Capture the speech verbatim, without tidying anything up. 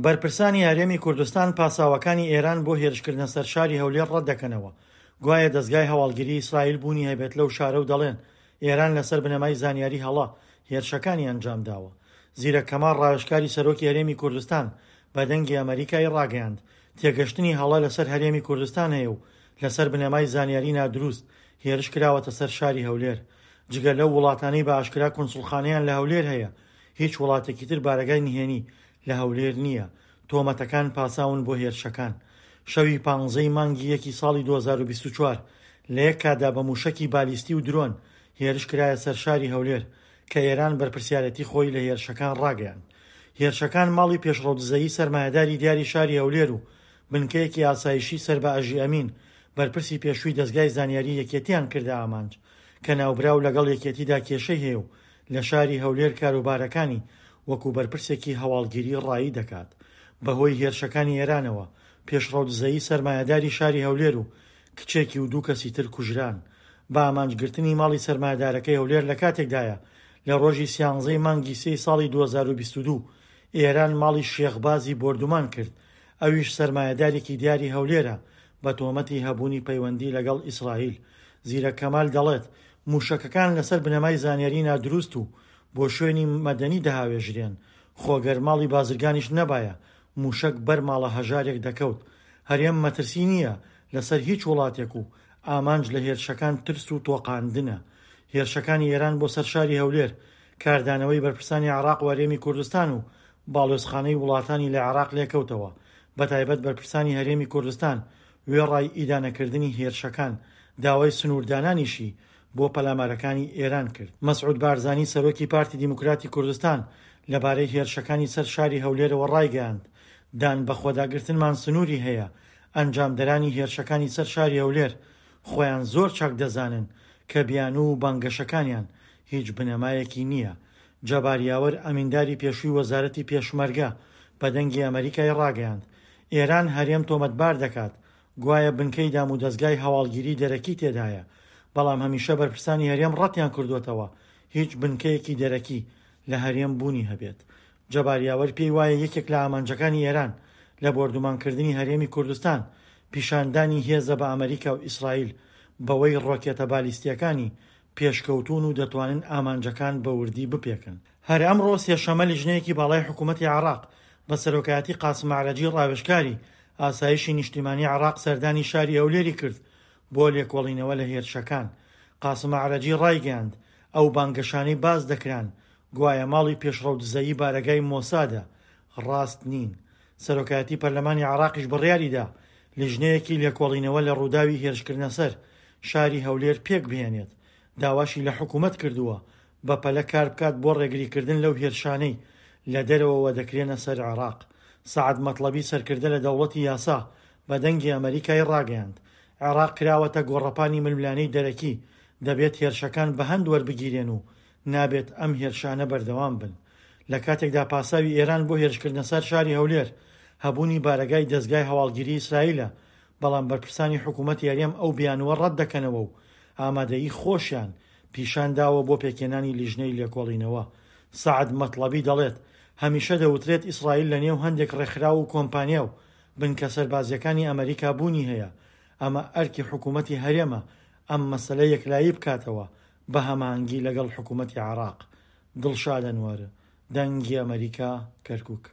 بەرپرسانی هەرێمی کوردستان پاساوەکانی ئێران بۆ هێرشکردنە سەر شاری هەولێر ڕەتدەکەنەوە، گوایە دەزگای هەواڵگری ئیسرائیل بوونی هەبێت لەو شارە و دەڵێن ئێران لەسەر بنەمای زانیاری هەڵە هێرشەکانی ئەنجامداوە. زیرەک کەمال ڕاوێژکاری سەرۆکی هەرێمی کوردستان بە دەنگی ئەمەریکای ڕاگەیاند، تێگەشتنی هەڵە لەسەر هەرێمی کوردستان هەیە و لەسەر بنەمای زانیاری نادروست هێرش کراوەتە سەر شاری هەولێر. جگە لەو وڵاتانەی بە ئاشکرا کونسوڵخانەیان لە هەولێر هەیە، هیچ وڵاتێکی تر بارەگای نهێنی لە هەولێر نییە. تۆمەتەکان پاساون بۆ هێرشەکان. شەوی پانزەی مانگی یەکی ساڵی دوو هەزار و بیست و چوار لە یەک کاتدا بە موشەکی بالیستی و درۆن هێرش کرایە سەر شاری هەولێر کە ئێران بەرپرسیارێتی خۆی لە هێرشەکان ڕاگەیاند. هێرشەکان ماڵی پێشڕەو دزەیی سەرمایەداری دیاری شاری هەولێر و بنکەیەکی ئاسایشی سەر بە ئەژی ئەمین بەرپرسی پێشووی دەزگای زانیاری یەکێتیان کردە ئامانج کە ناوبراو لەگەڵ یەکێتیدا کێشەی هەیە و لە شاری هەولێر کاروبارەکانی وەکو بەرپرسێکی هەواڵگیری ڕایی دەکات. بەهۆی هێرشەکانی ئێرانەوە پێشڕەو دزەیی سەرمایەداری شاری هەولێر و کچێکی و دوو کەسی تر کوژران. بە ئامانجگرتنی ماڵی سەرمایەدارەکەی هەولێر لە کاتێکدایە لە ڕۆژی سیانزەی مانگی سێی ساڵی دوو هەزار و بیست و دوو ئێران ماڵی شێخ بازی بۆردومان کرد، ئەویش سەرمایەدارێکی دیاری هەولێرە بە تۆمەتی هەبوونی پەیوەندی لەگەڵ ئیسرائیل. زیرەک کەمال دەڵێت موشەکەکان لەسەر بنەمای زانیاری نادروست و بۆ شوێنی مەدەنی دەهاوێژرێن، خۆگەر ماڵی بازرگانیش نەبایە موشەک بەر ماڵە هەژارێک دەکەوت. هەرێم مەترسی نییە لەسەر هیچ وڵاتێک و ئامانج لە هێرشەکان ترس و تۆقاندنە. هێرشەکانی ئێران بۆ سەر شاری هەولێر کاردانەوەی بەرپرسانی عێراق و هەرێمی کوردستان و باڵیۆزخانەی وڵاتانی لە عێراق لێکەوتەوە، بەتایبەت بەرپرسانی هەرێمی کوردستان وێڕای ئیدانەکردنی هێرشەکان داوای سنووردانانیشی بۆ پەلامارەکانی ئێران کرد. مەسعود بارزانی سەرۆکی پارتی دیموکراتی کوردستان لەبارەی هێرشەکانی سەر شاری هەولێرەوە ڕایگەیاند، دان بە خۆداگرتنمان سنووری هەیە، ئەنجامدەرانی هێرشەکانی سەر شاری هەولێر خۆیان زۆر چاک دەزانن کە بیانوو و بانگەشەکانیان هیچ بنەمایەکی نییە. جەبار یاوەر ئەمینداری پێشووی وەزارەتی پێشمەرگە بە دەنگی ئەمەریکای ڕاگەیاند، ئێران هەرێم تۆمەتبار دەکات گوایە بنکەی دام و دەزگای هەواڵگیری دەرەکی تێدایە، بەڵام هەمیشە بەرپرسانی هەرێم ڕەتیان کردووەتەوە هیچ بنکەیەکی دەرەکی لە هەرێم بوونی هەبێت. جەبار یاوەر پێی وایە یەکێک لە ئامانجەکانی ئێران لە بۆردومانکردنی هەرێمی کوردستان پیشاندانی هێزە بە ئەمریکا و ئیسرائیل بەوەی ڕۆکێتە بالیستیەکانی پێشکەوتون و دەتوانن ئامانجەکان بە وردی بپێکن. هەر ئەمڕۆ سێشەممە لیژنەیەکی باڵای حکوومەتی عێراق بە سەرۆکایەتی قاسم ئەعرەجی ڕاوێژکاری ئاسایشی نیشتیمانی عێراق سەردانی شاری هەولێری کرد بۆ لێکۆڵینەوە لە هێرشەکان. قاسم ئەعرەجی ڕایگەیاند ئەو بانگەشانەی باس دەکران گوایە ماڵی پێشڕەو دزەیی بارەگای مۆسادە ڕاست نین. سەرۆکایەتی پەرلەمانی عێراقیش بڕیاریدا لیژنەیەکی لێکۆڵینەوە لە ڕووداوی هێرشکردنە سەر شاری هەولێر پێک بهێنێت. داواشی لە حکوومەت کردووە بەپەلە کار بکات بۆ ڕێگریکردن لەو هێرشانەی لە دەرەوەوە دەکرێنە سەر عێراق. سەعد مەتڵەبی سەرکردە لە دەوڵەتی یاسا بە دەنگی ئەمەریکای ڕاگەیاند عێراق کراوەتە گۆڕەپانی ململانێی دەرەکی، دەبێت هێرشەکان بە هەند وەربگیرێن و نابێت ئەم هێرشانە بەردەوام بن. لە کاتێکدا پاساوی ئێران بۆ هێرشکردنە سەر شاری هەولێر هەبوونی بارەگای دەزگای هەواڵگیری ئیسرائیلە، بەڵام بەرپرسانی حکوومەتی هەرێم ئەو بیانووە ڕەت دەکەنەوە و ئامادەیی خۆشیان پیشان داوە بۆ پێکهێنانی لیژنەی لێکۆڵینەوە. سەعد مەتڵەبی دەڵێت هەمیشە دەوترێت ئیسرائیل لە نێو هەندێک ڕێکخراو و کۆمپانیا و بنکە سەربازیەکانی ئەمریکا بوونی هەیە، ئەمە ئەرکی حکوومەتی هەرێمە ئەم مەسەلە یەکلایی بکاتەوە بە هەماهەنگی لەگەڵ حکوومەتی عێراق. دڵشاد ئەنوەر، دەنگی ئەمەریکا، کەرکوک.